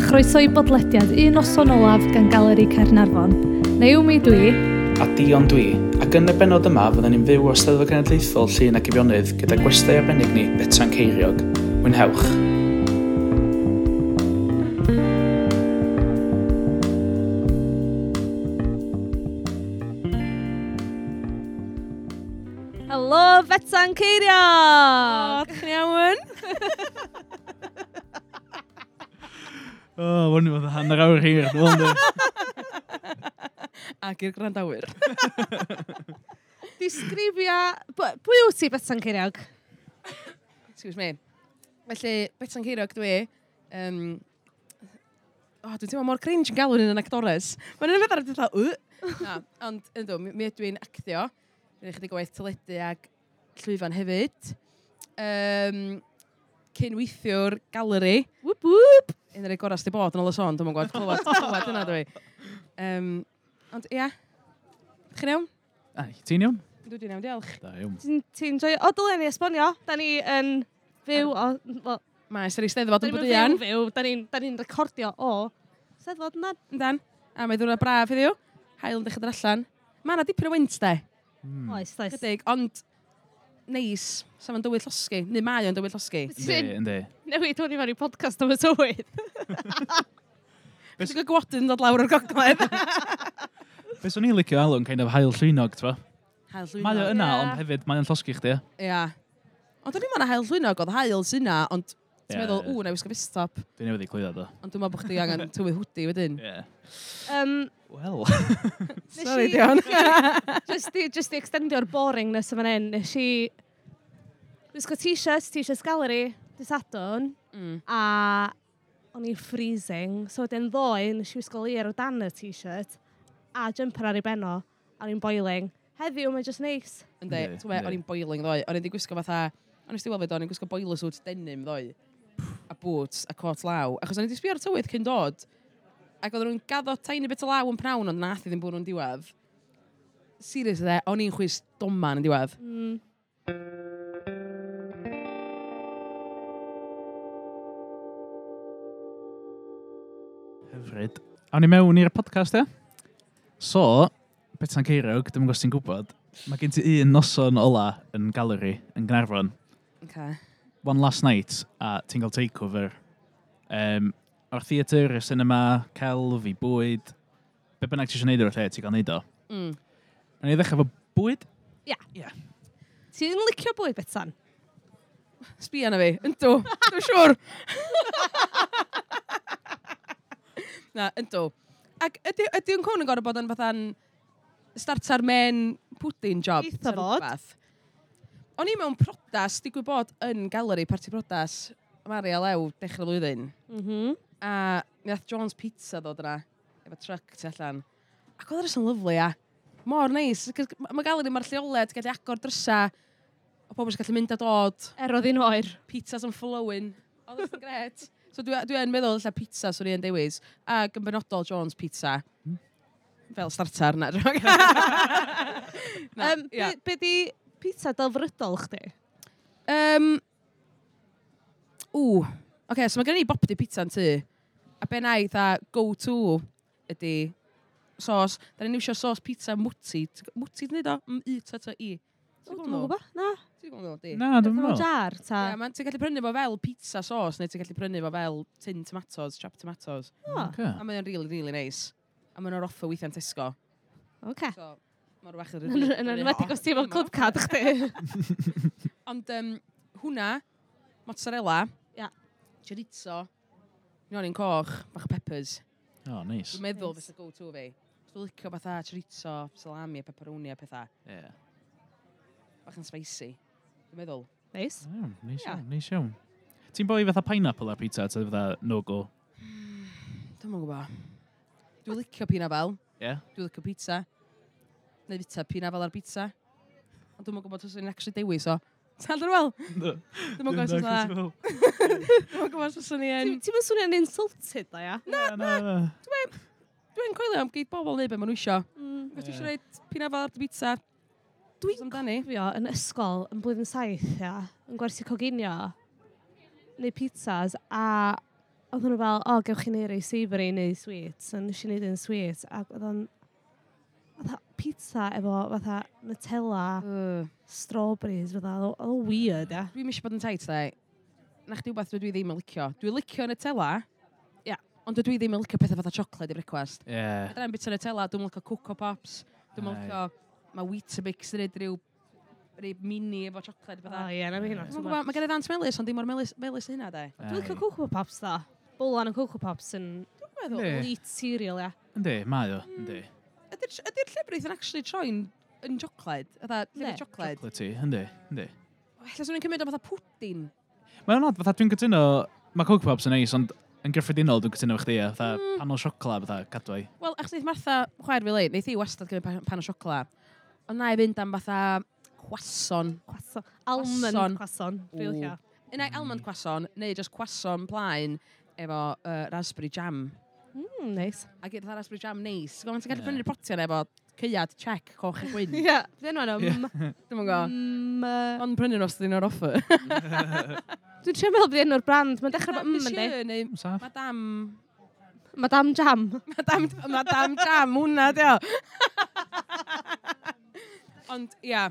chroeso i bodlediad Un Noson Olaf gan Galeri Caernarfon. Naomi dwi. A Dion dwi, ac yn y bennod yma fydden ni'n fyw o Steddfod Genedlaethol Llŷn ac Eifionydd gyda gwestai arbennig ni, Betsan Ceiriog. Mwynhewch! Helo, Betsan Ceiriog! O, chi'n iawn? O, oh, hwn i fod yn hanner awr hir, dwi'n meddwl. Ac i'r gwrandawyr. Disgrifia... Pwy wyt ti, Betsan Ceiriog? Excuse me. Felly, Betsan Ceiriog dwi. Oh, dwi'n teimlo mor cringe yn galw yn yn actores. Mae'n un peth ar y fatha, Na, ond yndw, mi ydw i'n actio. Dwi'n chydig o waith teledu ag llwyfan hefyd. Cyn-weithiwr galeri. Whoop whoop! Un o'r gorau sydd wedi bod yn ôl y sôn, dwi'n gwybod, clywed yna dwi. Ond ia, chi'n iawn? Ai, ti'n iawn? Dwi'n iawn, diolch. Da iawn. Ti'n joio? O, dylen ni esbonio. Da ni yn fyw o... Well, Maes yr Eisteddfod yn da ni'n Bwdian. fyw, da ni'n recordio o Steddfod yndan? Yndan. A mae ddwrnod braf heddiw. Haul yn dechrau dod allan. Mae yna dipyn o wynt, de. Oes, oes. Chydig, ond neis. Sa fo'n dywydd llosgi. Neu mae o'n dywydd llosgi. Yndi, yndi. Newid hwn i fewn i podcast am y tywydd. Beth sy'n gwodyn dod lawr o'r gogledd? Be swn i'n licio alw'n kind of haul llwynog, t'bo? Haul llwynog. Mae o yna, Ie. ond hefyd mae o'n llosgi chdi, ie? Ia. Ond o'n i'n meddwl haul llwynog, oedd haul sy'n yna, ond ti'n Ie, meddwl, ie. ww, na i wisgo fistop. Dwi'n newydd i clwyddo, do. Ond dwi'n meddwl bod chdi angen tywydd hwdi wedyn. Ie. Wel. Sorry, Dion. Just i extendio'r boringness yma hyn, nes i wisgo t-shirts, t-shirts gallery, dy Sadwrn, a o'n i'n freezing, so wedyn ddoe, nes i wisgo layer o dan y t-shirt, a jumper ar ei benno, a o'n i'n boiling. Heddiw, mae'n just neis. Yndi, Yndi, ti'n gwbod, yndi. o'n i'n boiling ddoe. O'n i'n di gwisgo fatha, o'n i'n weld fe do, o'n i'n gwisgo boiler suit denim ddoe. A boots a cot law. Achos o'n i di sbio ar y tywydd cyn dod. Ac oedden nhw'n gaddo tiny bit o law yn pnawn, ond nath i ddim bwrw yn diwedd. Seriously, de, o'n i'n chwys doman yn diwedd. Hyfryd. Awn ni mewn i'r podcast, ie? So, Betsan Ceiriog, dwi'm yn gwybod os ti'n gwybod, mae gen ti un noson ola yn galeri yn Gaernarfon. Okay. One last night, a ti'n cael takeover. O'r theatr, y cinema, celf, i bwyd, be bynnag ti eisiau neud o'r lle, ti'n cael neud o. Nawn ni ddechrau efo bwyd. Ia. Ia. Ti'n licio bwyd, Betsan? Sbia na fi, yndw, dwi'n siŵr. Na, yndw. Ac ydy yn cwn yn gorfod bod yn fatha'n starter men pudding job? Eitha ta fod. rwbath? O'n i mewn prodas, digwydd bod yn galeri, parti prodas, Mari a Lew, dechrau flwyddyn. A mi nath John's Pizza ddod yna, efo truck tu allan. Ac oedd yn lyfli, ia. Mor neis. 'Cos Mae galeri, mae'r lleoliad, gallu agor drysa, o pobl sy'n gallu mynd a dod Er oedd hi'n oer. pizzas yn flowing. Oedd yn gret. So dwi yn meddwl ella pizza swn i yn dewis. Ac yn benodol John's Pizza. Fel starter na. Na, ia. Be di pizza delfrydol chdi? Ww. Oce, so mae gen i bopty pizza yn tŷ. A be na i dda go-to ydy sos. Da ni'n iwsio sos pizza mwti. Mwti ti'n neud o? M-U-T-T-I. O, Dwi'm yn gwybod. Na. Ti'n gwybod nhw, di? Na, dwi'n Mewn meddwl. jar, ta? Ie, man, ti'n gallu prynu fo fel pizza sauce, neu ti'n gallu prynu fo fel tin tomatoes, chopped tomatoes. O, Ocê. A mae'n really, really nice. A mae'n o'r offer weithiau'n Tesco. oce. So, mae'n rhywbeth yn Yn enwedig os ti efo club card chdi. Ond hwnna, mozzarella, Ia. chorizo, nionyn coch, bach o peppers. O, neis. Dwi'n meddwl Nice. fysa go-to fi. Dwi'n licio fatha chorizo, salami a pepperoni a pethau. Ie. Bach yn spicy. Dwi'n meddwl. Neis. Iawn, neis Ie. iawn, neis iawn. Ti'n boi fatha pineapple ar pizza, ta fatha no-go? Dwi'm yn gwybod. Dwi'n licio pinafal. Ie? Dwi'n licio pizza. Neu fita pinafal ar pizza. Ond dwi'm yn gwybod os yw'n actually dewis o. Ti'n dod wel? Dwi'm yn gwybod os yw'n Dwi'm yn gwybod os yw'n yn... Ti'n mynd swnio'n insulted, da, ia? Na, na. Dwi'n coelio am geid bobl neu be maen nhw isio. Os ti Ie. eisiau rhoi pinafal ar dy pizza, Dwi'n amdani. cofio yn ysgol yn blwyddyn 7, ia, yn gwersi coginio, neu pizzas, a Oedden nhw fel, o, gewch chi neud rei savoury neu sweet. So nes i neud un sweet. Ac oedd o'n fatha pizza efo fatha Nutella, strawberries, fatha, oedd o'n weird, ia. Dwi'n eisiau bod yn tight, dde. Na chdi wbeth dwi ddim yn licio. Dwi'n licio Nutella, ia, ond dwi ddim yn licio pethau fatha chocolate i brecwast. Yeah. Fedra i'm bita Nutella, dwi'n licio Coco Pops, dwi'n licio, mae Weetabix yn neud rhyw mini efo chocolate. O, ie, na mi hynna. Dwi'n gwybod, mae gen i ddant melys, ond dim mor melys, melys hynna, de. Dwi'n licio Coco Pops, dda. Bowlan o Coco Pops yn elite cereal, ia. Yndi, mae o, yndi. Ydy'r llefrith yn actually troi'n yn chocolate? Ydy llefrith chocolate? Chocolatey, yndi, yndi. Ella swn i'n cymryd o fatha pwdin. Mae'n odd, fatha dwi'n cytuno, mae Coco Pops yn neis, ond yn gyffredinol dwi'n cytuno efo chdi, fatha panel siocla, fatha cadwai. Wel, achos wneith Martha, chwaer fi leid, wneith hi wastad cymryd pan o siocla. Ond na i fynd am fatha croissant. Croissant. Almond croissant. Dwi'n licio. Unai almond croissant, neu just croissant plaen efo raspberry jam. Nice. A gyda raspberry jam neis. Gweld, ti'n gallu prynu'r potiau efo caead, check, coch a gwyn. Ie, beth enw nhw? Dwi'm yn gwybod. Ond prynu nhw os ydyn nhw'r offer. Dwi'n trio meddwl beth enw'r brand. Mae'n dechrau bod yndi. Neu Madame... Madame Jam. Madame Jam, hwnna, dio. Ond, ia.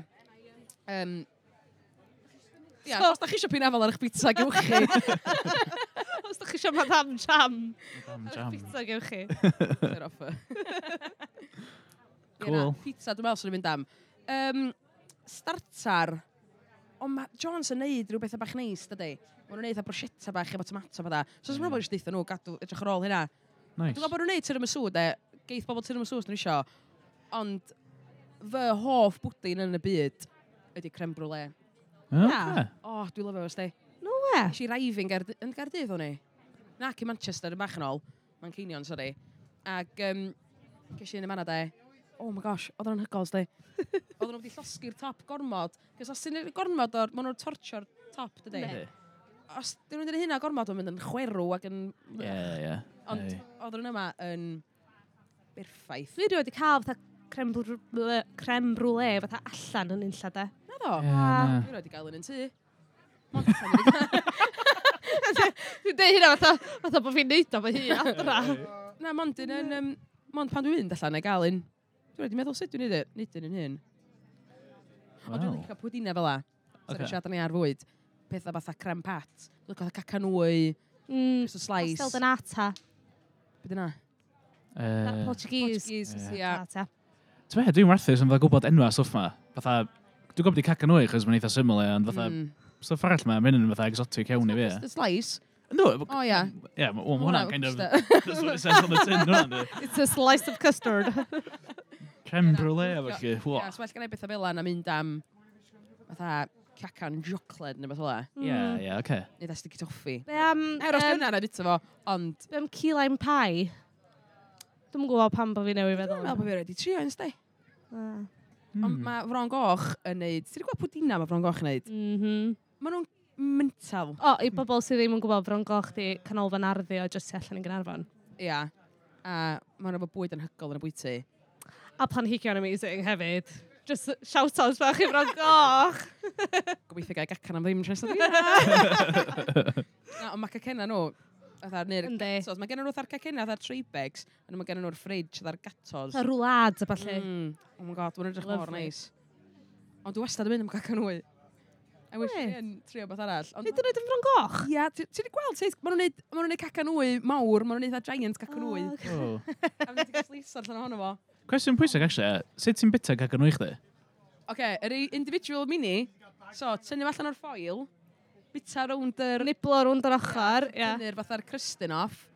Ia, os da chi eisiau pinafal ar eich pizza, gewch chi. Os da chi eisiau Madame Jam. Madame Jam. Ar eich pizza, gewch chi. Yr offer. Cool. Pizza, dwi'n meddwl sy'n mynd am. Starter. Ond mae Jones yn neud rhyw bethau bach neis, dydy. Maen nhw'n neud a bruschetta bach efo tomato fatha. So, os maen nhw'n eisiau nhw gadw edrych ar ôl hynna. Nice. Dwi'n gwybod bod nhw'n neud tiramisu, de. Geith bobl tiramisu os nhw isio. Ond fy hoff bwdin yn y byd ydy creme brulee. Okay. O, dwi'n lyfio fo, sti. No we. Nes i rifing yn Gaerdydd o'n i. Na, cyn Manchester yn bach yn ôl. Manceinion, sorry. Ac ges i un yma de. Oh my gosh, oedd o'n anhygoel, sti. Oedden nhw wedi llosgi'r top gormod. Cos os ti'n gormod o'r... Maen nhw'n tortio'r top, dydy. Os dyn nhw'n dweud hynna gormod, mae'n mynd yn chwerw ac yn... Ie, ie. Ond oedden nhw'n yma yn berffaith. Dwi wedi cael fatha creme brulee fatha allan yn unlla, de. Na ddo? Ie, Dwi wedi cael un yn tŷ. Mond allan wedi cael. Dwi'n deud hynna fatha bod fi'n neud o fy hun adra. Na, mond un yn... Mond pan dwi'n mynd allan neu gael un. Dwi'n wedi meddwl sut dwi'n neud e, neud un yn hyn. Ond dwi'n licio pwdina fel la. Sorry, siarad ni ar fwyd. Pethau fatha creme pat. Dwi'n licio fatha cacanwy, custard slice. Pastel de nata. Be dyna? Portuguese. Portuguese, ia. Ti'n meddwl, dwi'n werthus yn fatha gwybod enwa stwff ma. Fatha, dwi'n gwybod di cacanwy, chos mae'n eitha syml, e, ond fatha, stwff arall ma, mae'n yn fatha exotic iawn i fi. Custard slice? No, O, ia. Ie, ma' hwnna'n kind of... That's what it says on the tin, hwnna'n. It's a slice of custard. Creme brulee, a felly. Ie, so well gen i bethau fel na mynd am fatha cacan siocled neu beth fel Ie, ie, oce. Neu dda sticky toffee. Be am... Er os dyna na bita fo, ond... Be am key lime pie? Dwi'm yn gwybod pam bod fi newydd feddwl. Dwi'n meddwl bod fi wedi trio un, sti. Ond mae Fron Goch yn neud... Ti'n gwybod pwdina mae Fron Goch yn neud? Maen nhw'n mental. O, i bobl sydd ddim yn gwybod, Fron Goch di canolfan arddio jyst tu allan i Gaernarfon. Ia. A maen nhw efo bwyd anhygoel yn y bwyty. A planhigion amazing hefyd. Just shout-out bach i Fron Goch. Gobeithio gael gacan am ddim tro nesaf. Na, ond mae cacenna nhw, fatha, neu'r gatos. Mae gen nhw fatha'r cacenna, fatha'r tray bags, a mae gen nhw'r fridge, fatha'r gatos. Fatha roulades a ballu. Oh my god, mae'n edrych mor neis. Ond dwi wastad yn mynd am cacan wy. I wish fi yn trio beth arall. Hyd yn oed yn Fron Goch? Ia, ti wedi gweld sut? Maen nhw'n neud cacan wy mawr, maen nhw'n neud fatha giant cacan wy. A maen nhw'n cael slice allan ohono fo. Cwestiwn pwysig, actually, sut ti'n bita cacan wy chdi? Oce, yr individual mini, so tynnu allan o'r foil, bita rownd yr... Niblo rownd yr ochr, ie. Tynnu'r fatha'r crystyn off.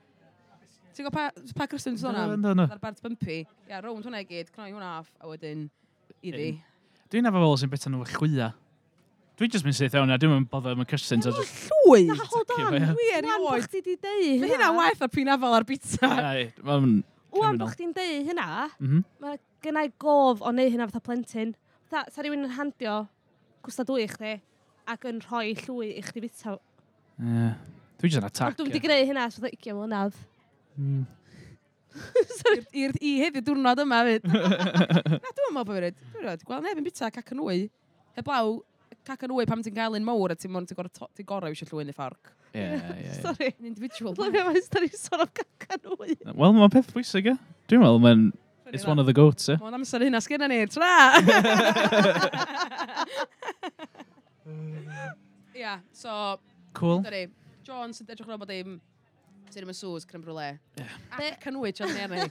Ti'n gwybod pa crystyn ti'n sôn am? Yndw, yndw. Fatha'r bart bumpy. Ia, rownd hwnna i gyd, cnoi hwnna off, a wedyn iddi. Dwi'n efo bobl sy'n bita nhw efo chwya. Dwi'n just mynd syth iawn, a dwi'n mynd bother am y crystyn. So just... Llwy! Na, hold on. Dwi erioed. Wan bod chdi di deud hynna. Mae hynna waeth na pinafal ar pizza. Ai, mae'n Wan bod chdi'n deud hynna, mae gennai gof o neud hynna fatha plentyn. Fatha, sa rhywun yn handio cwstard wy i chdi ac yn rhoi llwy i chdi bita. Ie. Dwi jyst yn attack. Ond dwi'n wedi gwneud hynna ers fatha 20 mlynedd. I heddiw diwrnod yma fyd. Na, dwi'n meddwl bod fi wedi. Dwi'n gweld neb yn bita cacan wy. Heblaw Cacan wy pam ti'n cael un mawr a ti'n mor ti'n gorau ti gorau eisiau llwy neu fforc. Ie, ie, ie. Sorry. Yn individual. Lyfio mae'n stori sôn am cacan wy. Wel, mae'n peth bwysig, ie. Dwi'n meddwl, mae'n... It's one of the goats, ie. Mae'n amser hynna sgynna ni. Tra! Ia, so... Cool. Dyna ni. Jones yn edrych ar ôl bod dim... Tiramisus, creme brulee. Ie. A cacan wy, John Mary.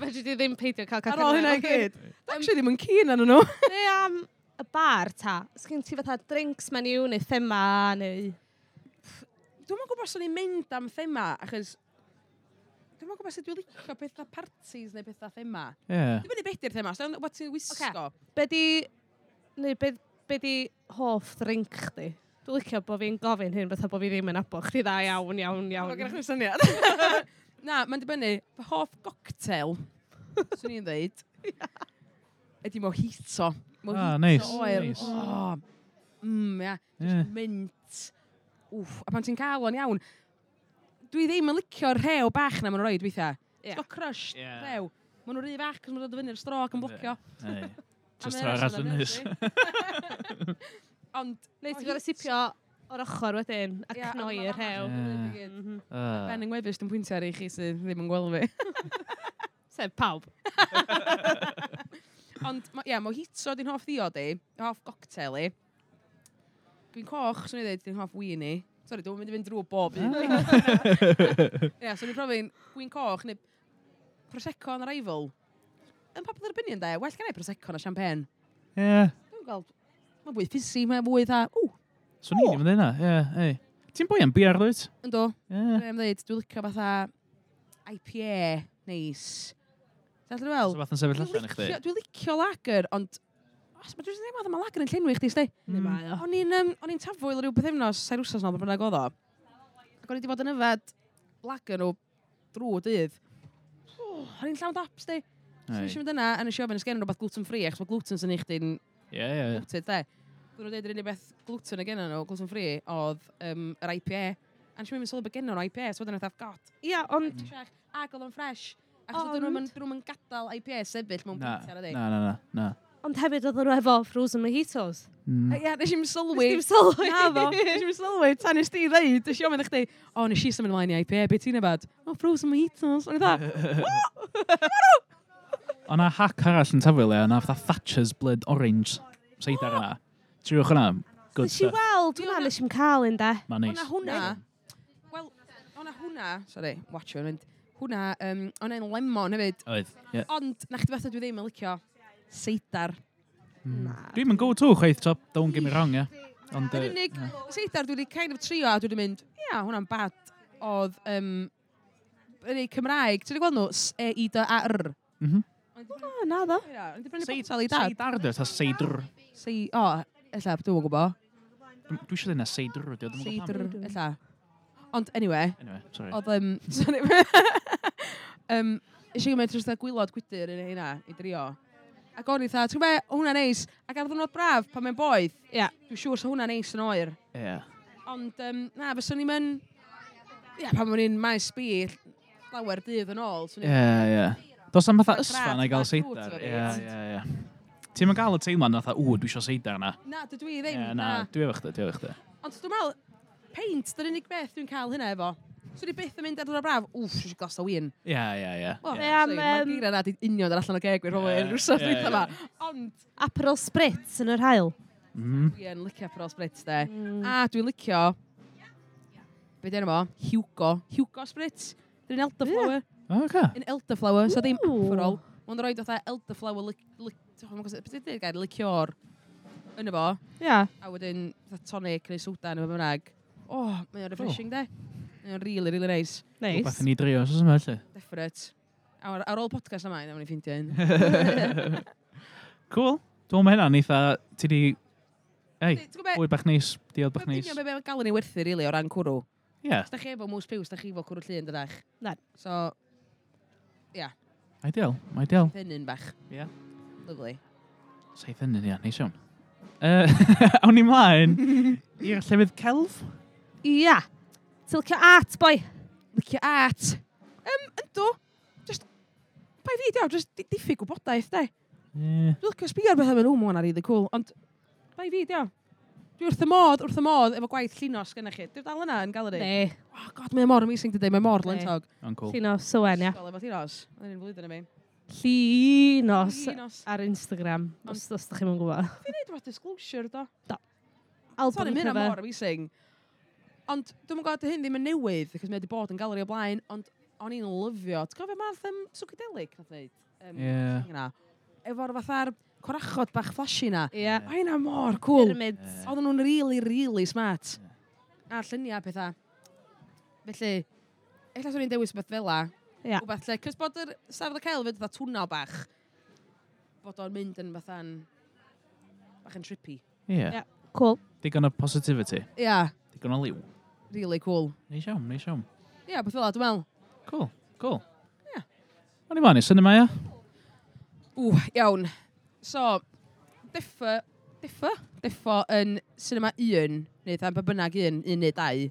Fedri di ddim peidio cael cacan Ar ôl hynna i gyd. Actually ddim yn keen arnyn nhw. Be am y bar ta? Sgyn ti fatha drinks menu neu thema neu... Dwi'm yn gwybod os o'n i'n mynd am thema, achos... Dwi'm yn gwybod sut dwi'n licio pethau parties neu pethau thema. Ie. Dwi'n mynd i beth i'r thema, so beth ti'n wisgo. Be di... Neu be, be di hoff drink chdi? Dwi'n licio bod fi'n gofyn hyn fatha bod fi ddim yn abo chdi dda iawn, iawn, iawn. Mae gennych chi'n syniad. Na, mae'n dibynnu. Fy hoff goctel, swn i'n dweud, ydy mojito. Mojito Ah, neis, oer. neis. Oh, ia. Ie. Just mint. Wff, a pan ti'n cael o'n iawn, dwi ddim yn licio'r rhew bach na maen nhw'n roed weithiau. Ie. Ti'n crushed Ie. rhew. Maen nhw'n rhy fach cos maen nhw'n dod fyny'r straw ac yn blocio. Ei. A Just mae tro yna arall sôn yn am nys. hynny. Ond... Neu ti'n gorau sipio o'r ochr wedyn a Ie, ond cnoi ma' yr rhew. Ie. Ah. Ben yng ngwefus dwi'n pwyntio ar i chi sydd ddim yn gweld fi. Sef pawb. Ond, ia, yeah, mojito di'n hoff ddiod i, hoff goctel i. Gwin coch, swn i ddweud, di'n hoff win i. Sorry, dwi'n mynd i fynd drwy bob un. Ie, so ni'n profi'n gwin coch neu Prosecco on arrival. Yn popular opinion, de, well gen i Prosecco na champagne. Ie. Dwi'n gweld, mae'n fwy fizzy, mae'n fwy dda, ww, Swn i ddim yn dweud na, ie, ei. Ti'n boi am beer, dwyt? ynddo. Ie. Dwi'n dweud, dwi'n licio fatha IPA, neis. Ti'n allan fel? So fath yn sefyll allan i chdi? Dwi'n licio lager, ond... Os mae dwi'n meddwl mae lager yn llenwi chdi, sti. Neu mae o. O'n i'n o'n i'n tafwyl rhyw bythefnos, sair wsos nôl, beth bynnag oedd o. Ac o'n i wedi bod yn yfed lager nhw drwy dydd. Oh, o'n i'n llawn dap, sti. So Ei. nes i fynd yna, a nes i ofyn, os gen nhw rhywbeth gluten free, achos mae gluten sy'n eich chdi'n Ie, ie, ie. gluten, de. Dyn nhw'n dweud yr unig beth gluten y gen nhw, gluten free, oedd yr IPA. A nes i mynd sylwi bod gen nhw'n IPA, so wedyn oedd God, Ia, ond ac oedd o'n fresh. Achos dyn nhw'n dyn nhw'n gadael IPA sefyll mewn Na, pwynt ar ydi. na, na, na, na. Ond hefyd oedden nhw efo frozen mojitos. Ie, nes i'm sylwi. Nes i'm sylwi. Na ddo, nes i'm sylwi. Tan nes ti ddeud, nes i ofyn i chdi, o, nes i symud ymlaen i IPA, be ti'n yfad? O, frozen mojitos. O'n i dda, O na hack arall yn tafwyl e, o'na fatha Thatcher's Blood Orange. Seidar yna. Triwch hwnna. Good Nes i stuff. weld hwnna, nes i'm cael un de. Mae'n neis. O'na hwnna. Wel, o'na hwnna, sorry, watch you, mynd. Hwnna, o'na un lemon hefyd. Oedd, ie. Ond, na chdi fatha dwi ddim yn licio seidar. Na. Dwi'm yn go-to chwaith, top, don't get me wrong, ie. Ond, Yr unig seidar dwi wedi kind of trio a dwi wedi mynd, ia, hwnna'n bad. Oedd, yr unig Cymraeg, ti'n gweld nhw? S-E-I-D-A-R. O, na ddo. Ia, o'n i 'di brynu botel i dad. Seidar, dwi, ta seidr. Sei, o, ella, dwi'n gwybod. Dwi eisiau dweud na seidr, dwi, dwi'm yn gwbod Seidr, pam. ella. Ond, anyway, Anyway, sorry. oedd, sorry. Eisiau gymryd dros gwylod gwydr yn hynna i drio. Ac o'n i tha, ti'n gwybod, hwnna'n neis. Ac ar ddwrnod braf, pan mae'n boeth, Ia. dwi'n siŵr sa hwnna'n neis yn oer. Ie. Ond, na, fyswn i'n mynd... Ia, pan o'n i'n maes B, lawer dydd yn ôl. swn i'n- Ie, ie. Does am fatha Ma'n ysfa braf, na i gael ma'n cwt seidar. efo Ie, fi. ie, ie. Ti'n mynd gael y teimlad na fatha, ww, dwi eisiau seidar na. Na, dydw i ddim. Ie, na, dwi efo chdi, dwi efo chdi. Ond dwi'n meddwl, peint, dy'r unig beth dwi'n cael hynna efo. Swn i byth yn mynd ar ddwrnod braf, wff, eisiau glas o win. Ie, ie, ie. Wel, Ie. Be am, Mae'r geiriau na di union ar allan o geg, rhywun Ie, yr wsos ie, dwytha ie. yma. Ond Aperol Spritz yn yr haul. dwi yn licio Aperol Spritz, de. A dwi'n licio, be di enw fo? Hugo. Hugo Spritz. Dwi'n elderflower. O, oce. Yn elderflower, so ddim Ooh. Aperol. Mae'n rhoi fatha elderflower, beth ydy'r gair, liqueur yn efo. Ia. A wedyn fatha tonic neu soda neu beth bynnag. Oh, mae o'n refreshing, de. Mae o'n really, really nice. Neis. Rhywbeth i ni drio, os oes yma, felly. Definite. A ar ôl podcast yma, nawn ni ffeindio un. Cool. Dwi'n meddwl mae hynna'n eitha, ti di... Ei, Ti'n gwybod be? bwyd bach neis, diod bach Mae'n neis. union be mae galon ni werthu, really, o ran cwrw. Ie, Os da chi efo mŵs piws, da chi efo cwrw llun, dydach? Na. So, ia, ideal, ideal. hynny'n bach. Ie. Lovely. Saith hynny, ia, neis iawn. Awn ni mlaen i'r llefydd celf. Ia. Ti'n licio art, boi? Licio art. Yndw. Just, bai fi, diaw, just diffyg gwybodaeth, de. Ie. Dwi'n licio sbio ar bethau mewn, ww, ma' hwnna'n really cool, ond bai fi, diaw. Dwi wrth y modd, wrth y modd, efo gwaith Llinos gyda chi. Dwi'n dal yna yn galeri. Ne. Oh god, mae o mor amazing dydy, mae mor lentog. O'n cool. Llinos Owen, ia. Ysgol efo Llinos. Mae'n un flwyddyn i mi. Llinos Llinos. ar Instagram, os ydych chi'n gwybod. Fi'n neud rhywbeth disclosure, do. Do. Album Sorry, mae hynna cover. mor amazing. Ond dwi'n gwybod hyn ddim yn newydd, achos mae wedi bod yn galeri o blaen, ond o'n i'n lyfio. Ti'n cofio math psychedelic nath wneud? Ie. Yna. Efo'r fatha'r corachod bach flashy na. Ie. O, hynna mor cool. Pyramids. Oedden nhw'n really, really smart. A lluniau pethau. Felly, ella swn i'n dewis beth fel la. Ie. Rhywbeth lle, cys bod yr safle cael fyd fatha twnnel bach, bod o'n mynd yn fatha'n bach yn trippy. Ie. Ie. Cool. Digon o positivity. Ia, yeah, Digon o liw. really cool. Neis iawn, neis iawn. Ia, yeah, beth fel la, dwi'n meddwl. Cool, cool. Ie. O'n i fan i cinema, ia? Ww, iawn. So, deffo yn cinema 1, neu dda, pa bynnag un, un neu dau.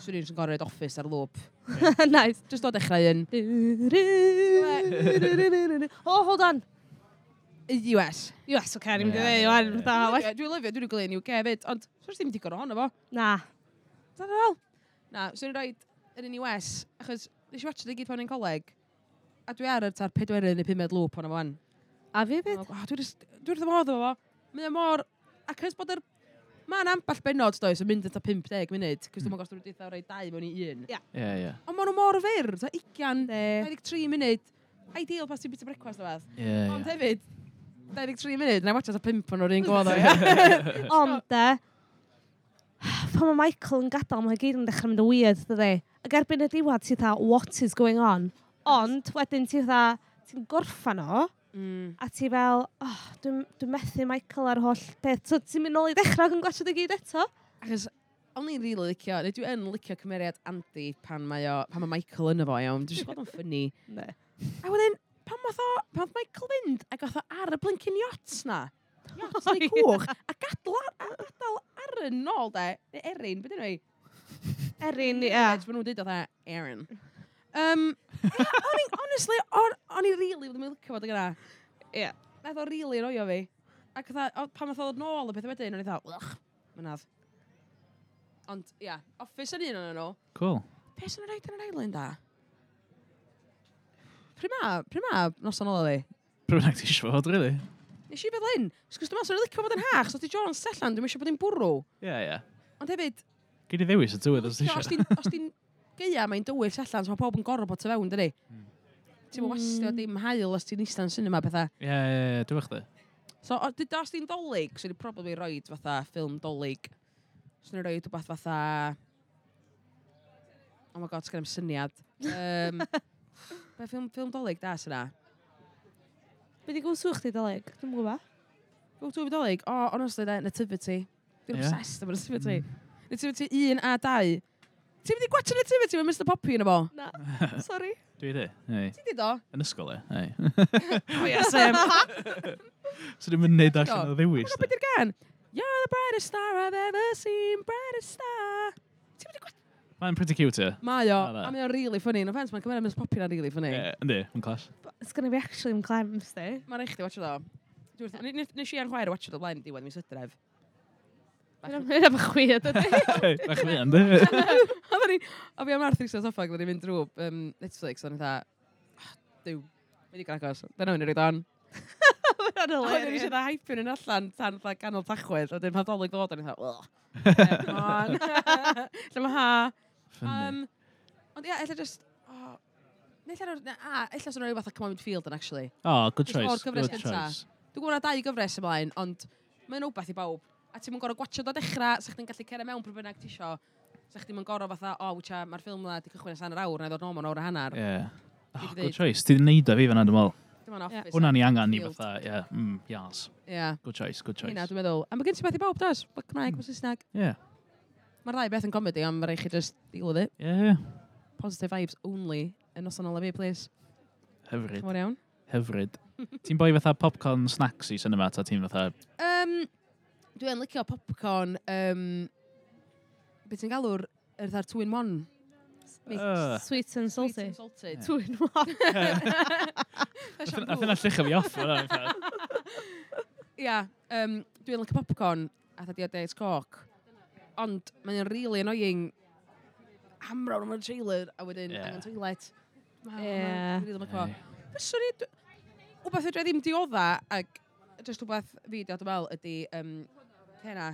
Swn i'n gorfod Office ar loop. Nice. Just o dechrau un. Oh, hold on. US. US, oce, ni'n mynd i Ie, ddeud, ie, wan, ie. fatha, Dwi'n lyfio, dwi'n gwneud yn UK hefyd, ond swn ddim digon ohono fo. Na. Dyna fel. Na, swn i'n rhoi yr un US, achos nes i watch i gyd pan o'n i'n coleg, a dwi ar yr ta'r pedwerydd neu pumed loop ohono fo wan. A fi fyd? Oh, dwi jyst- dwi wrth fy modd efo fo. Mae o mor... A cys bod yr... Mae'n ambell benod, does, yn mynd at 50 munud, cys dwi'n gwybod os dwi'n dweud rhoi dau mewn i un. Ie. Ie, ie. Ond maen nhw mor fyr, ta 20, De. 23 munud. Ideal pas ti'n bita brecwast o fath. Ie, Ond ie. hefyd, 23 munud, na i watcha ta 5 o'n o'r un gwadd o. Ond, de, pan mae Michael yn gadael, mae gyd yn dechrau mynd yn weird, dydy. Ac erbyn y diwedd, ti'n fatha, what is going on? Ond, wedyn ti'n fatha, ti'n gorffan o, a ti fel, oh, dwi'n dwi methu Michael ar holl peth. So ti'n mynd nôl i dechrau ac yn gwachod y gyd eto? Achos, o'n i'n rili licio, neu dwi yn licio cymeriad Andy pan mae, o, pan mae Michael yn efo, iawn. Dwi'n gwybod o'n ffynnu. Ne. A wedyn, pan math o, pan nath Michael fynd ac oedd o ar y blinking yacht na. Yacht neu cwch. A gadal, ar, a gadael Aaron nôl, de. Neu Erin, beth ydyn nhw? Erin, ie. Yeah. Maen nhw'n dweud oedd Erin. Yeah, o'n i, honestly, o'n i really ddim yn licio fod yna. Ie. Nath o really roio fi. Ac fatha, pan nath o ddod nôl y pethau wedyn, o'n i fatha, ugh, mynadd. Ond, ia, yeah, Office yn un o'n nhw. Cool. Be sy'n rhaid yn yr island, da? Pryd ma noson ola fi? Pryd bynnag ti eisiau fod, really? Nes i feddwl hyn, sgwrs dwi'n meddwl, swn i'n licio bod yn hach, so ti Jones allan, dwi'n eisiau bod yn bwrw. Ie, ie. Ond hefyd, Gei di ddewis y tywydd os ti os eisiau. ti'n gaea, mae'n dywyll allan, so mae pawb yn gorfod bod tu fewn, dydi? Ti'n mm. wastio dim haul os ti'n eistedd yn cinema pethau. Ie, ie, ie, dwi'n chdi. So, os ti'n dolyg, swn i'n probably roid fatha ffilm dolyg. Swn i'n roid rhywbeth fatha... Oh my god, sgen i'm syniad. Be ffilm dolyg da sy'n na? Be di gwsw chdi, Dolig? Dwi'n gwybod. Go to fi dolyg? Oh, honestly, de, Nativity. Dwi'n Ie? obsessed efo Nativity. Nativity 1 a 2. Ti'n mynd i gwatcha Nativity mae Mr Poppy yn y bo? Na, sorry. Dwi di. Ei. Ti'n di do? Yn ysgol, e. Ei. Oh, yeah, same. So dwi'n mynd neud allan o ddewis. Be di'r gan? You're the brightest star I've ever seen, brightest star. Ti'n mynd i gwatcha? Mae'n pretty cute, e. Mae o, Na, na. a mae o'n really funny. No offence, mae'n cymryd Mr Poppy na'n really funny. Ie, yndi, mae'n class. Sgynna fi actually yn clems, di. Mae'n rhaid chdi watcha do. Nes i a'n chwaer watcha do blaen diwedd mis Hydref. Hynna bach weird, ydy. Bach fi, yndi. Oedden ni, o fi am Arthur eistedd soffa, ac oedden ni'n mynd drwy Netflix, o'n i fatha, oh, duw, mae digon agos, dyna o'n i roed on. Hynna'n A wedyn ni hilarious. eisiau dda hypio nhw'n allan tan fatha ganol tachwedd, a wedyn pan ddolig ddod, o'n i fatha, ugh. Come on. Lle mae ha. Funny. Ond ia, ella just, oh, neu ella, a, ella swn i'n rhoi fatha Come On Midfield yn actually. Oh, good Just o'r choice. gyfres Good gynta. choice. Dwi'n gwybod na dau gyfres ymlaen, ond mae'n wbath i bawb. A ti'n mynd gorau gwatio do dechrau, sa chdi'n gallu cera mewn pryd bynnag ti isio. Sa chdi'n mynd gorau fatha, o, oh, wcha, mae'r ffilm na di cychwyn ers hanner awr, na i ddod nôl mewn awr a hanner. Ie. Dwi Oh, 'di good deud. choice. Ti di neud o fi fan'na, dwi'n meddwl. Dim ond Office. Hwna ni angen ni Field. fatha, ie, yas. Ie. Good choice, good choice. Hynna, dwi'n meddwl. A mae gen ti beth i bawb, does? Mae Cymraeg, mae Saesneg. Ie, Mae'r ddau beth yn comedy, ond mae rhaid chi just deal with it. ie, ie. Positive vibes only yn noson ola fi, please. Hyfryd, Chymor iawn. hyfryd. Ti'n boi fatha popcorn snacks i cinema, ta ti'n fatha... Dwi yn licio popcorn, beth ti'n galw'r yr fatha'r 2-in-1? Mix. Sweet and Sweet salty. and salted. Two in one. Nath yna lluchio fi off. Ia, Ia, dwi'n licio popcorn. A dda Diet Coke. Ond mae'n really annoying hamro nhw mewn trailer a wedyn angen toilet. Ie. Really licio. Fyswn i... Wbath fedra i ddim diodda, ac just wbath fi di dwi'n meddwl, ydy, hynna,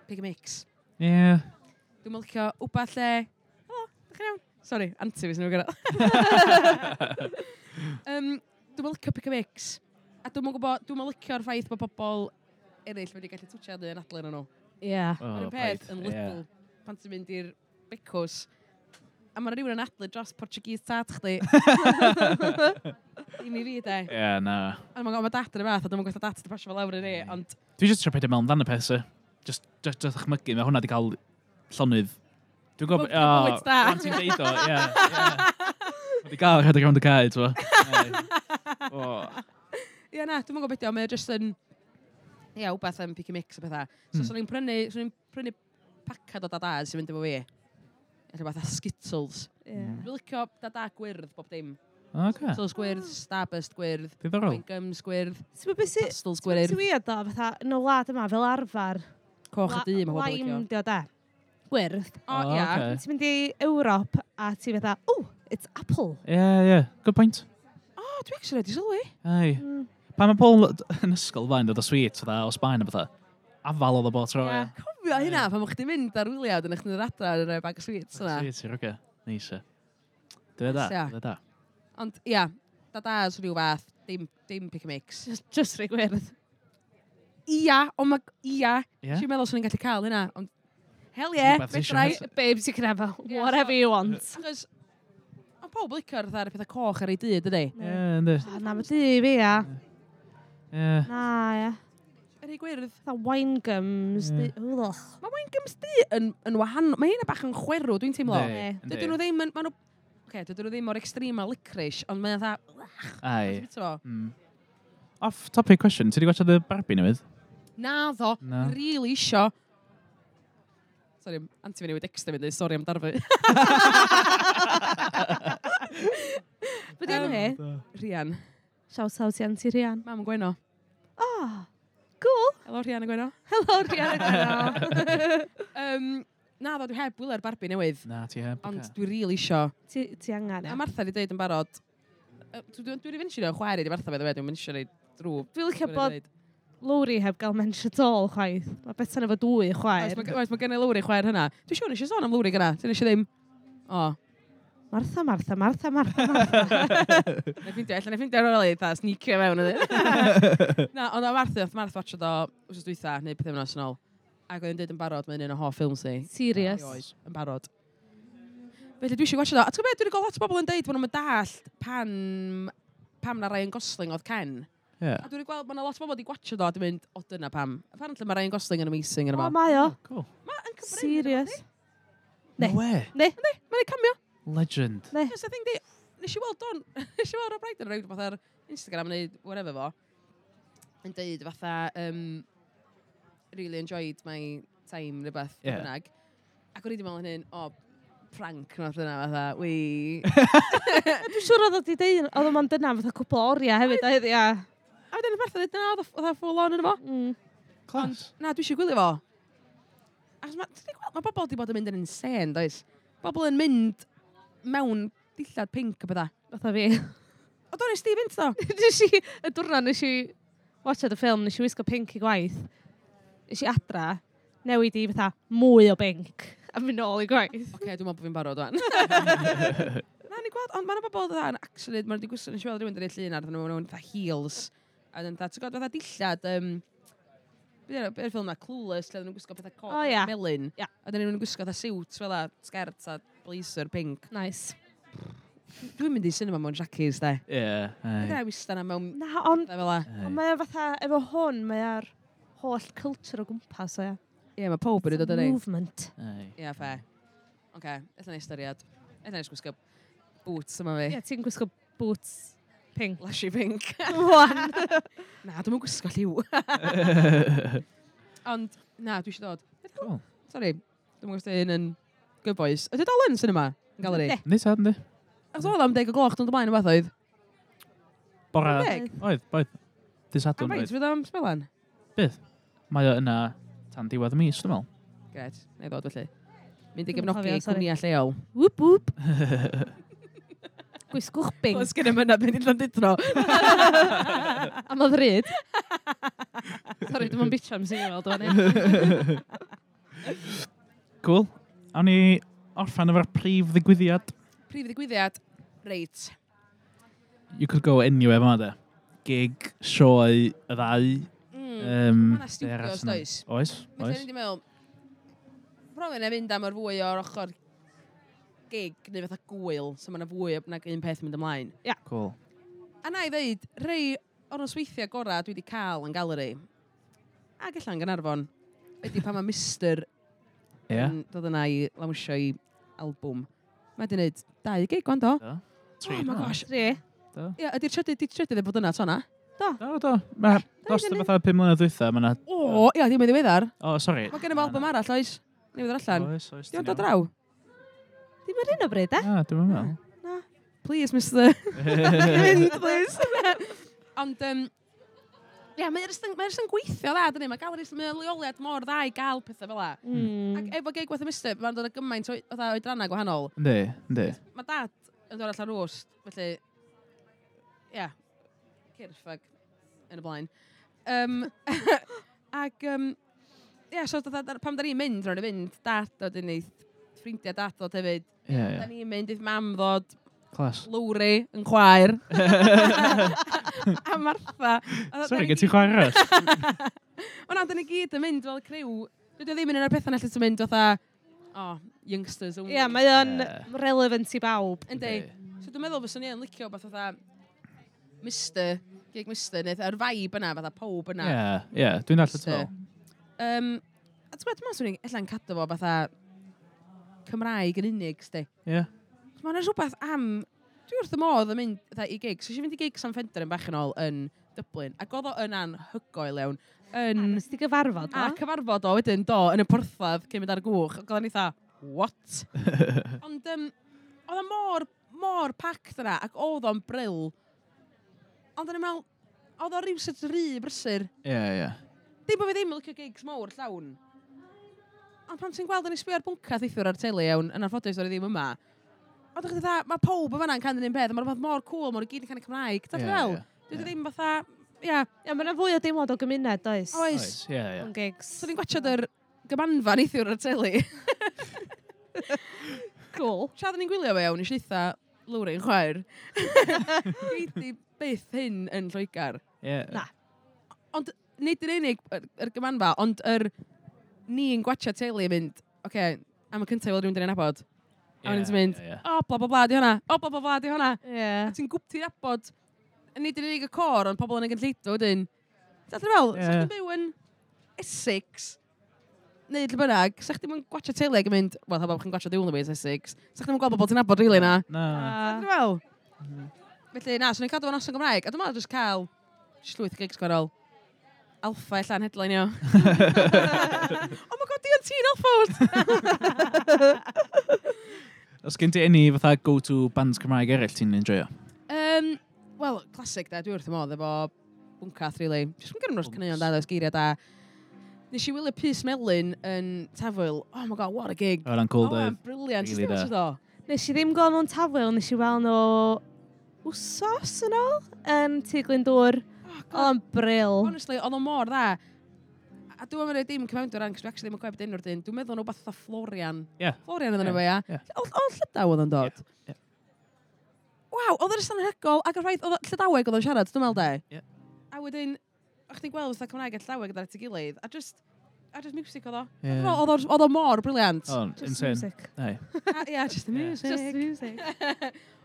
pick a mix. Ie. Yeah. Dwi'n licio wbath lle... O, dach chi'n iawn? Sorry, anti fi sy'n nhw'n gyrraedd. Dwi'n licio pick a mix. A dwi'n gwybod, dwi'n licio'r ffaith bod pobl eraill wedi gallu twtio yn adlen nhw. Ie. Mae'r peth yn Lidl, pan ti'n mynd i'r becws, a mae rhywun yn adlu dros Portuguese tat chdi. Dim i fi, de. Ie, yeah, na. A mae'n ma dad yn y fath, a dwi'n gweithio dad yn pasio fel lawr i ni, ond... Dwi jyst trio peidio meddwl amdan y peth, so. Just ychmygu, mae hwnna wedi cael llonydd. Dwi'n gwybod... Bywyd da. Pan ti'n deud o, ie. Wedi gael rhedeg rownd y cae, ti'n Ie, na, dwi'n gwybod beth mae'n just yn... Ie, wbeth am pick a mix a pethau. So, swn i'n prynu pacad o dada sy'n mynd efo fi. Rhywbeth a Skittles. Yeah. Dwi'n licio dada gwyrdd bob dim. Okay. Skittles gwyrdd, Starburst gwyrdd, Diddorol. Wine Gums gwyrdd, Pastels gwyrdd. Ti'n weird o, fatha, yn y wlad yma, fel arfer. Coch a du, mae pobl licio. Lime, dio da. Gwyrdd. O, ia. Okay. Ti'n mynd i Ewrop a ti'n fatha, oh, it's apple. Yeah, yeah. Good point. O, dwi actually wedi sylwi. Ai. Pan mae pobl yn ysgol fain dod o sweet, fatha, o Sbaen a fatha, afal oedd o bod tro, ie. Cofio hynna, pan o'ch chdi'n mynd ar wyliad yn eich chdi'n adra yn y bag o sweets yna. Sweets, ie, oce. Neis, ie. Dwi da, dwi da. Ond, ia, dadas rhyw fath, dim pick a mix. Just rhy gwyrdd. Ia, ond mae, ia. Ti'n meddwl swn i'n gallu cael hynna, ond hell yeah, fedrai. Babes, you can have whatever you want. Achos, ond pob licio'r fatha'r pethau coch ar ei dŷ, dydy? Ie, yndi. Na, mae dŷ fi, ia. Ie. Na, ia. Yr ei gwyrdd. Fatha wine gums. Mae wine gums du yn wahanol. Mae hynna bach yn chwerw, dwi'n teimlo. Dydyn nhw ddim yn... Oce, dydyn nhw ddim o'r extreme a licorice, ond mae'n fatha... Ai. Off topic question, ti wedi gwachio The Barbie newydd? Na ddo, really isio. Sorry, anti fi newid extra fi dweud, sori am darfu. Be di enw hi? Rhian. Shout out i Auntie Rhian. Mam yn Gweno. Oh, cool. Helo Rhian yn Gweno. Helo Rhian yn Gweno. Na ddo, dwi heb wylio'r Barbie newydd. Na, ti heb. Ond dwi really isio. Ti angen, A Martha wedi dweud yn barod, dwi wedi mentionio chwaer i di Martha, by the way, dwi'n mentionio drwy. Dwi'n licio bod Lowry heb gael mention at all, chwaith. Mae Betsan efo dwy chwaer. Oes, mae gen i Lowry chwaer hynna. Dwi'n siŵr nes i sôn am Lowry gyna. Ti'n eisiau ddim? O. Martha, Martha, Martha, Martha, Martha. Na i ffeindio ar ôl i, dda, sneakio mewn. Na, ond o Martha, oedd Martha watchad o wsos dwytha, neu pythefnos yn ôl. Ac oedd yn dweud yn barod, mae'n un o hoff ffilms ni. Serious? Oed, yn barod. Felly dwi eisiau watchad o. A ti'n gwybod, dwi wedi gweld lot o bobl yn deud bod nhw'n dallt pam na Ryan Gosling oedd Ken. Yeah. A dwi wedi gweld, mae yna lot o bobl wedi gwachio do a dwi'n mynd, o dyna pam. Apparently mae Ryan Gosling yn amazing yn yma. O, mae o. Cool. Mae'n cyfrin. Serious. No way. Ne. Ne, mae'n cameo. Legend. Ne. Yes, I think they, nes i weld Don, nes i weld Rob Brydon yn rhywbeth ar Instagram neu whatever fo, yn deud fatha, really enjoyed my time, rhywbeth, Yeah. bynnag. Ac o'n i wedi meddwl hynny, o, prank nath yna, fatha, wi. Dwi'n siŵr oedd o di deud, oedd o'n dyna fatha cwpl o oriau hefyd, oedd, ia. A wedyn Martha dweud, na, oedd o full on yn efo. Class. Na, dwi eisiau gwylio fo. Achos mae, ti'n gweld, mae bobl wedi bod yn mynd yn insane, does? Bobl yn mynd mewn dillad pink a bydda. Fatha fi. O, do, nes di fynd, do? Nes i, y diwrnod nes i watchad y ffilm, nes i wisgo pink i gwaith. Nes i adra, newid i fatha mwy o pink a mynd nôl i gwaith. Oce, dwi'n meddwl bod fi'n barod wan. Na, ni'n gweld, ond mae'n bobl dda yn actually, maen nhw wedi gwisgo, nes i weld rhywun yn llun ar, nhw mewn fatha heels. A wedyn fatha, ti'n gweld fatha dillad, beth yw'r ffilm na, Clueless, lle oedden nhw'n gwisgo pethau coch, O, ia. melyn. Ia. A wedyn nhw'n gwisgo fatha siwt fel a sgert a blazer pink. Nice. Dwi'n mynd i cinema mewn jackies, de. Ie. Dwi'n wista na mewn Na, ond fel a. ond mae o fatha, efo hwn, mae o'r holl culture o gwmpas o, ia. Ie, mae pob wedi dod yn ei. Movement. Ie, fe. Oce, ella na ystyried. Ella na gwisgo boots yma fi. Ie, ti'n gwisgo boots pink. Lashy pink. Wan. Na, dwi'n gwisgo lliw. Ond, na, dwi eisiau dod. Cool. Sorry, dwi'n gwybod hyn yn Good Boys. Ydy dal yn cinema? Yn galeri? Yndi. Yndi, tad, yndi. Achos oedd am 10 o gloch, dwi'n ymlaen o beth oedd. Bora. Deg? Oedd, oedd. Dydd A Sadwrn faint oedd. fydd am sbelan? Bydd. Mae o yna Tan diwedd y mis, dwi'n meddwl. Gret, na i ddod felly. Mynd i gefnogi cwmnïau lleol. Whoop, whoop. Gwisgwch bing. Oes gen i mynadd mynd i Llandudno. Am o ddrud. Sorry, dwi'n mynd bitch am sy'n weld o'n. Cool. Awn ni orffen efo'r prif ddigwyddiad. Prif ddigwyddiad, reit. You could go anywhere fama de. Gig, sioe, y ddau. Mae yna studios, does? Oes, oes. Felly, ni'n meddwl, probably na fynd am yr fwy o'r ochr gig neu fatha gwyl, so mae yna fwy nag un peth yn mynd ymlaen. Yeah. Cool. A na i ddeud, rei o'r nosweithiau gorau dwi wedi cael yn galeri, ac allan Gaernarfon, ydy pan mae Mr. Yeah. Yn dod yna i lawnsio i albwm. Mae wedi gwneud 2 gig wan do. Do. 3. Oh my gosh. 3. Do. Ie, ydy'r trydydd yn bod yna to na? Do. Do, do. Mae dros y fatha 5 mlynedd dwytha, mae yna... O, ia, ddim yn ddiweddar. O, sori. Mae gen i album arall, oes? Newydd allan. Oes, oes. Di o'n dod draw? Dim ar un o bryd, e? Na, dwi'n meddwl. Na. Please, Mr. Mynd, please. Ond, ia, mae'n jyst yn gweithio dda, dyni. Mae galeri, mae'n leoliad mor dda i gael pethau fel la. Ac efo gig wath y Mr, mae'n dod â gymaint o oedrannau gwahanol. Yndi, yndi. Mae dad yn dod allan rwst, felly, ia, cyrff ag yn y blaen. Ac, ia, so pam da ni'n mynd, ro'n i fynd, dad dod yn ei ffrindiau dad ddod hefyd. Ie, ie. Da ni'n mynd, eith mam ddod, Clas. Lowri yn chwaer. A Martha. Sorry, gen ti chwaer arall? O na, da ni gyd yn mynd fel criw. Dydy o ddim yn un o'r pethau na lle ti'n mynd fatha, oh, youngsters only. Ie, yeah, mae o'n relevant i bawb. Yndi. So dwi'n meddwl fyswn i yn licio beth fatha Mr, gig Mr, neu yr vibe yna, fatha pob yna. Ie, ie, dwi'n dallt y fel. A ti'n meddwl, swn i'n ella'n cadw fo fatha Cymraeg yn unig, sti. Ie. Mae yna rhywbeth am... Dwi wrth y modd yn mynd fatha, i gigs. So, eisiau fynd i gig Sam Fender yn bach yn ôl yn Dublin. Ac oedd o yn anhygoel iawn. Yn... Nes ti gyfarfod o? A cyfarfod o wedyn, do, yn y porthladd cyn mynd ar y gwch. Ac oedd o'n eitha, what? Ond oedd o mor, mor packed yna, ac oedd o'n bril. Ond o'n i'n meddwl, oedd o rhywsut rhy brysur. Ie, ie. Dim bod fi ddim yn licio gigs mawr llawn. Ond pan ti'n gweld o'n i sbio ar bwncath neithiwr ar teli iawn, yn anffodus o'n i ddim yma. Ond o'ch chi mae pawb yn fanna'n canu'r un peth, a mae'r rhywbeth mor cool, maen nhw gyd yn canu Cymraeg. Ti'n fel? Dwi ddim fatha, ia. Ie, mae yna fwy o deimlad o gymuned, does? Oes. Ie, ie. O'n gigs. So ni'n gwachod yr gymanfa neithiwr ar teli. Cool. Tra oedden ni'n gwylio fe iawn, nes i eitha Lowry yn chwaer. Gei di byth hyn yn Lloegr. Ie. Na. Ond nid yn unig yr gymanfa, ond yr ni'n gwachio teli yn mynd, oce, okay, am y cyntaf i weld rhywun dyn ni'n nabod. A wedyn ti'n mynd, o, bla bla bla, di hwnna, o, bla bla bla, di hwnna. Yeah. A ti'n gwb ti'n nabod, nid yn unig y cor, ond pobl yn y gynulleidfa wedyn. Ti'n fel, yeah. Sa chdi'n byw yn Essex, neu lle bynnag, sa chdi'n gwachio teli ac yn mynd, wel, ha bobl chi'n gwachio The Only Way is Essex, sa chdi'n gweld bobl ti'n nabod, really, na. Na. Ti'n fel? Felly, na, swn i'n cadw fo'n noson Gymraeg, a dwi'n meddwl jyst cael llwyth gigs gwahanol. Alpha ella'n headline o. Oh my god, Dion, ti'n Alpha! Os gen ti any fatha go-to bands Cymraeg eraill ti'n enjoyo? Wel, classic da, dwi wrth y modd efo Bwncath, really. Jyst yn gyrru nhw'r caneuon da, oes geiriau da. Nes i wylio Pys Melyn yn Tafwyl. Oh my god, what a gig. Oedd o'n cool, Oh, doedd. brilliant. Really Really da. Nes i ddim gweld nhw'n Tafwyl, nes i weld nhw wsos yn ôl yn Tŷ Glyndŵr. Oedd o'n bril. Honestly, oedd o mor dda. A dwi'n meddwl dim cyfawnder ran, cos dwi actually ddim yn cofio beth enw'r dyn. Dwi'n meddwl nhw fatha Florian. Ie. Florian oedd enw fo, ia. Ie. O Llydaw oedd o'n dod. Ie. Waw, oedd o'n anhygoel, ac yr ffaith, oedd Llydaweg oedd o'n siarad, dwi'n meddwl de. Ie. A wedyn, o'ch chdi'n gweld fatha Cymraeg a Llydaweg oedd at ei gilydd, a just music oedd o. Ie. Oedd o mor brilliant. Oedd o'n Just insane. music. Ai. Ie, just the music. Just the music.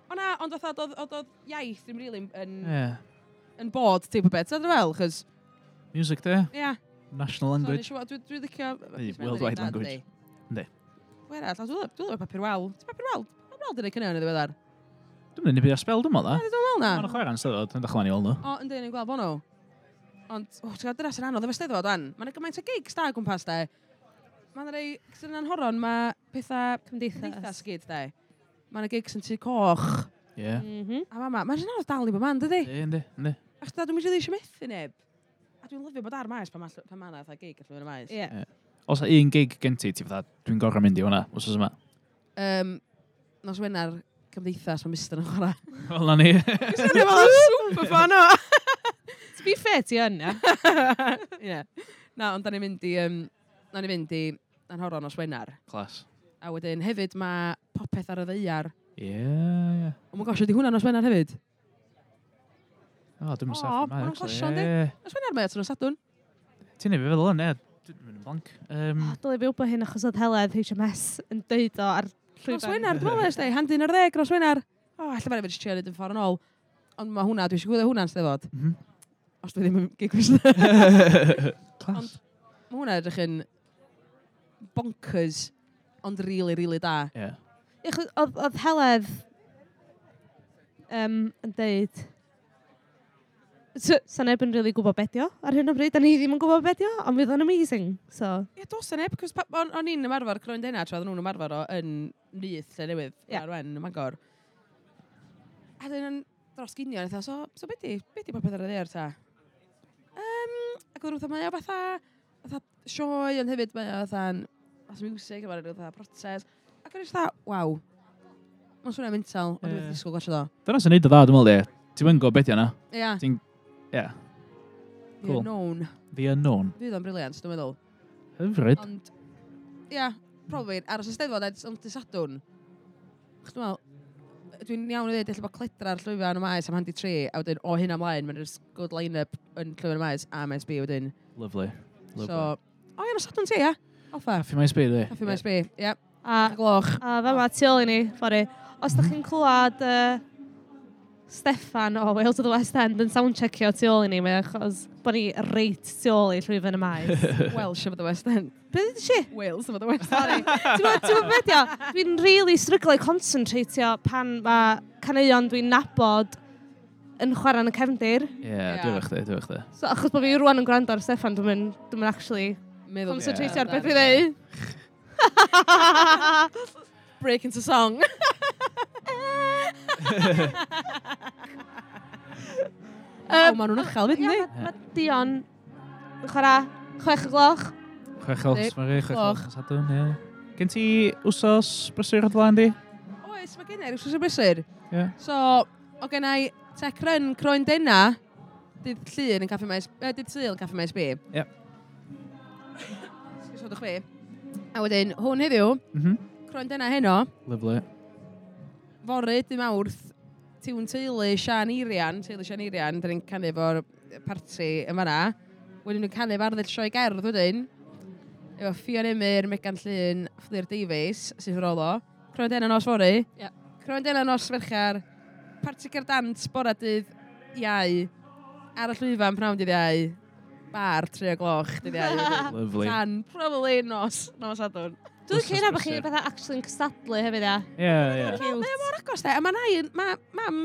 O na, ond fatha, oedd iaith ddim really yn, Ie. yn bod, teip o beth. Ti'n fel, chos, Music de, ie. national language. So, dwi'n licio... Neu worldwide language. Yndi. Pwy arall? Dwi'n licio Papur Wal. Ti'n Papur Wal? Papur Wal 'di neud caneuon yn ddiweddar. Dwi'n mynd i byd ar spel, dwi'n meddwl, Na, da. dwi'n meddwl na. Mae'n chwarae yn steddfod, yn dechrau i weld nhw. O, yndi, ni'n gweld bo nhw. Ond, o, ti'n gwybod, dyna sy'n anodd efo steddfod, wan. Mae'n gymaint o gigs da o gwmpas, de. Mae'n rei, sy'n anhoron, mae pethau Cymdeithas. cymdeithas gyd, de. Mae'n gigs yn Tŷ Coch. Ie. A mama, mae'n anodd dal i bod man, dydi? Yndi, yndi. Achos da, dwi'n mynd i eisiau methu neb. A dwi'n lyfio bod ar maes pan mae pan ma 'na fatha gig ar llwyfan y maes. Ie. Ie. Os 'na un gig gen ti, ti fatha, dwi'n gorfod mynd i hwnna, wsos yma. Nos Wener, Cymdeithas, mae Mr yn chwarae. Wel, na ni. Dwi'n fel super fan o. To be fair, ti yn, ia. Ie. Na, ond da ni'n mynd i, na ni'n mynd i Nanhoro nos Wener. Class. A wedyn hefyd mae Popeth ar y Ddaear. Ie, ie. Oh my gosh, ydy hwnna nos Wener hefyd? O, dwi'n O, mynd saff ma' nhw'n clasio, yndi? Nos Wener mae o, nos Sadwrn. Ti'n neud fi feddwl yn, ie. Dwi'n mynd yn blank. Oh, dylai fi wybod hyn achos oedd Heledd HMS yn deud o ar llwyfan. Nos Wener, dwi'n meddwl, ysdi, 11:30, nos Wener. O, oh, alla mae'n trio neud yn ffordd yn ôl. Ond mae hwnna, dwi eisiau gwylio hwnna'n steddfod. Os dwi ddim yn gig fysna. Class. Mae hwnna edrych yn bonkers, ond really, really da. Ie. Ie, achos oedd Heledd yn deud... Sa neb yn really gwybod be dio ar hyn o bryd, a ni ddim yn gwybod be dio, ond fydd o'n amazing. So, Ie, dos na neb, cos o'n i'n ymarfer Croen Dena tra oedden nhw'n ymarfer o yn Nyth, lle newydd, Ie. ar Wen, ym Mangor. A dyn yn dros ginio, eitha, so be di Popeth ar y Ddaear ta? Ac oedden nhw fatha, mae o fatha sioe, ond hefyd mae o fatha'n fatha music, a mae'n fatha protest. Ac o'n i jyst fatha, waw. Mae'n swnio'n mental, ond dwi'n disgwyl gwachio do. Dyna sy'n neud o dda, dwi'n meddwl, ie. Ti'n mynd gwybod beth yna. Ia, Ti'n... Ie. The Cool. Unknown. The Unknown. Fydd o'n briliant, dwi'n meddwl. Hyfryd. Ond, ia, probably, aros y Steddfod ond dydd Sadwrn. Chos dwi'n meddwl, dwi'n iawn i ddweud, ella bod Cledra'r llwyfan y maes am 2:30, a wedyn o hynna ymlaen, mae'n just good line-up yn llwyfan y maes a Maes B wedyn. Lovely. Lovely. So, o ia, nos Sadwrn ti, ia? Alpha. Caffi Maes B, dwi. Caffi Maes B, ia. a, Gloch. a fama tu ôl i ni, fory. Os da chi'n clywed Steffan o Wales of the West End yn soundcheckio tu ôl i ni, mae achos bod ni reit tu ôl i llwyfan y maes. Welsh of the West End. Be ddweud ti? Wales of the West End. Sorry. Ti'n gwybod beth ydi o? Dwi'n really stryglo i concentratio pan mae caneuon dwi'n nabod yn chwarae yn y cefndir. Ie, dwi'n efo chdi, dwi'n efo chdi. So, achos bod fi rwan yn gwrando ar Steffan, dwi'n mynd, dwi'n mynd actually Meddwl. concentratio ar beth dwi'n dweud. Break into song. O, maen nhw'n uchel, fyd, Ie, yndi? ma Dion yn chwarae 6 o'gloch. 6 o'gloch, Yndi, Mari, 6 gloch. o'gloch nos Sadwrn, ie. Gen ti wsos brysur o flaen di? Oes, mae gen i wsos o brysur. Ie. So, o gen i tech run Croen Dena, dydd Llun yn Caffi Maes, dydd Sul yn Caffi Maes B. Ie. Sgwsodwch fi. A wedyn, hwn heddiw, Croen Dena heno, Lovely. fory, dydd Mawrth, tiwn teulu Sian Eirian, teulu Sian Eirian, dyn ni'n canu efo'r parti yn fanna. Wedyn ni'n canu efo arddull sioe gerdd wedyn, efo Ffion Emyr, Megan Llŷn, Fflur Davies, sy'n rolo. Croen Dena nos fory. Ie. Croen Dena nos Fercher, parti cerdd dant bora dydd Iau, ar y llwyfan pnawn dydd Iau, bar 3 o'gloch dydd Iau. wedyn. Lovely. Tan, probably nos Sadwrn. Dwi'n Wsos licio hynna bod chi brysur. fatha actually yn cystadlu hefyd, ia. Ie, ie. Cute. Mae o mor agos, de. A mae nain, mae mam,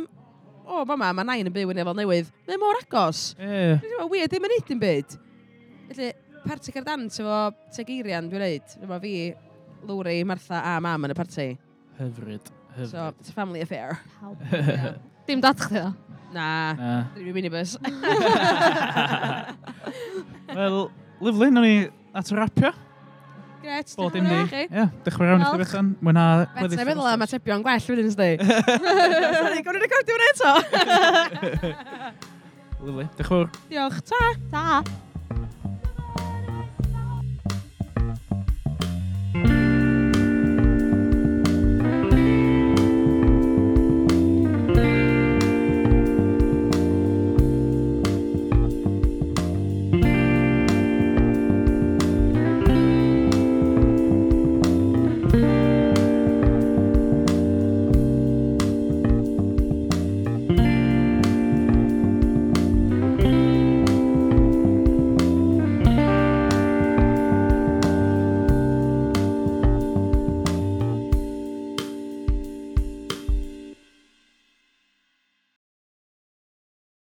o, fama, mae nain yn byw yn Efel Newydd. Mae o mor agos. Ie. Dwi'n teimlo weird, ddim yn neud dim byd. Felly, parti cerdd dant efo Tegeirian, dwi'n neud. Efo fi, Lowri, Martha a mam yn y parti. Hyfryd. So, Hyfryd. it's a family affair. Pawb. Dim dad chdi ddo. Na, Na. dwi'n minibus. Wel, lyfli, nawn ni at y rapio. Gret, Bod dim diolch di. yn fawr i chi. Ie, diolch yn fawr iawn i chdi Diolch. Bethan. Mwynha Bet, gweddill na yr feddwl am wsos. atebion gwell wedyn, ysdi. Sorry, gawn ni recordio hwnna eto. Lyfli, diolch yn fawr. Diolch, ta. Ta.